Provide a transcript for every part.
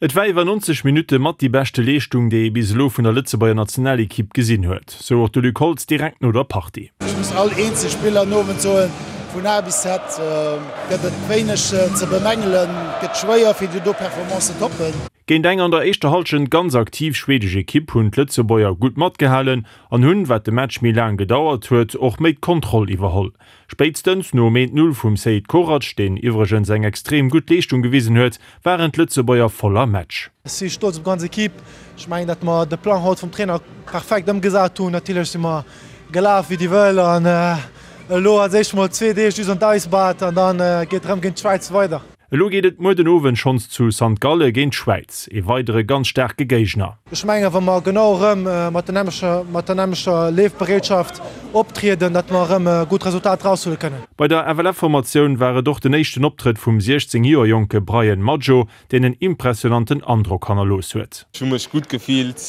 Et war iwwer 90 Minutte mat déi beschte Leeschtung, déi ee bis elo vun der Lëtzebuerger Nationalekipp gesinn huet, sou och de Luc Holtz direkt no der Partie. Ech muss all eenzel Spiller den Owend soen, vun A bis Z gëtt et wéineg ze bemängelen. Et gëtt schwéier fir déi do Performance ze toppen. Géint eng an der éischter Hallschent ganz aktiv schwedesch Ekipp hunn d'Lëtzebuerger gutt matgehalen an hunn, wat de Match méi laang gedauert huet, och méi d'Kontroll iwwerholl. Spéitstens nom 1, 0 vum Seid Korac, deen iwwregens eng extrem gutt Leeschtung gewisen huet, waren d'Lëtzebuerger voll am Match. Ech si stolz op d'ganz Equipe. Ech mengen, datt mer de Plang haut vum Trainer perfekt ëmgesat hunn. Natierlech si mer gelaf wéi déi Wëll an elo als éischt mol zwee Deeg just an d'Eisbad an da geet erëm géint d'Schwäiz weider. Elo geet et muer den Owend schonns zu St. Galle géint d'Schwäiz, ee weidere ganz staarke Géigner. Ech mengen, wa mer genau erëm mat der nämlecher, mat der nämlecher Leefbereetschaft optrieden, datt mer erëm e gutt Resultat eraushuele kënnen. Bei der FLF-Formatioun war et och den éischten Optrëtt vum 16 Joer jonke Bryan Maggio, deen en impressionanten Androck hannerlooss huet. Ech hu mech gutt gefillt,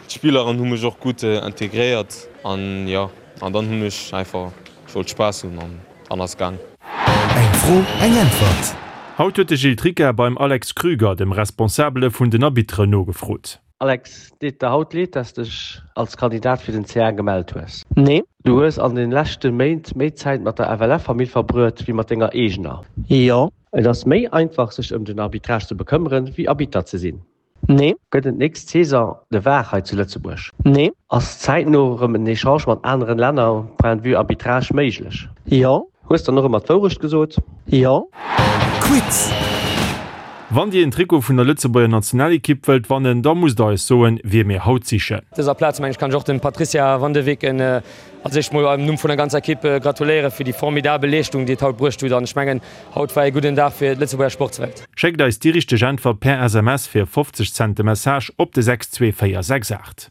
d'Spilleren hu mech och gutt integréiert an jo, an dann hunn ech einfach, ech wollt Spaass hunn an. An ass gaang. Eng Fro, eng Äntwert. Haut huet de Gilles Tricca beim Alex Krüger, dem Responsabele vun den Arbitteren, nogefrot. Alex, deet der haut leed, dass dech als Kandidat fir den CA gemellt hues? Nee. Du hues an den leschte Méint méi Zäit mat der FLF-Famill verbruet wéi mat denger eegener? Jo. Et ass méi einfach sech ëm den Arbitrage ze bekëmmeren, wéi Arbitter ze sinn. Nee. Gëtt et d'nächst Saison de var hei zu Lëtzebuerg? Nee. Ass zäitno erëm en Echange mat aneren Länner point de vue Arbitrage méiglech? Jo. Hues dann och ëmmer d'Wourecht gesot? Jo. Quiz! Wann Dir en Trikot vun der Lëtzebuerger Nationalekipp wëllt wannen, da musst der eis soen, wie mir haut sichen. Op dëser Plaz mengen ech kann ech och dem Patricia van de Weken als éischt mol am Numm vun der ganzer Ekipp gratuléiere fir déi formidabel Leeschtung déi et haut bruecht hutt an ech mengen Haut war ee gudden Dag fir d'Lëtzebuerger Sportswelt. Schéckt eis déi richteg Äntwert per SMS fir 50 Cent de Message op de 62468.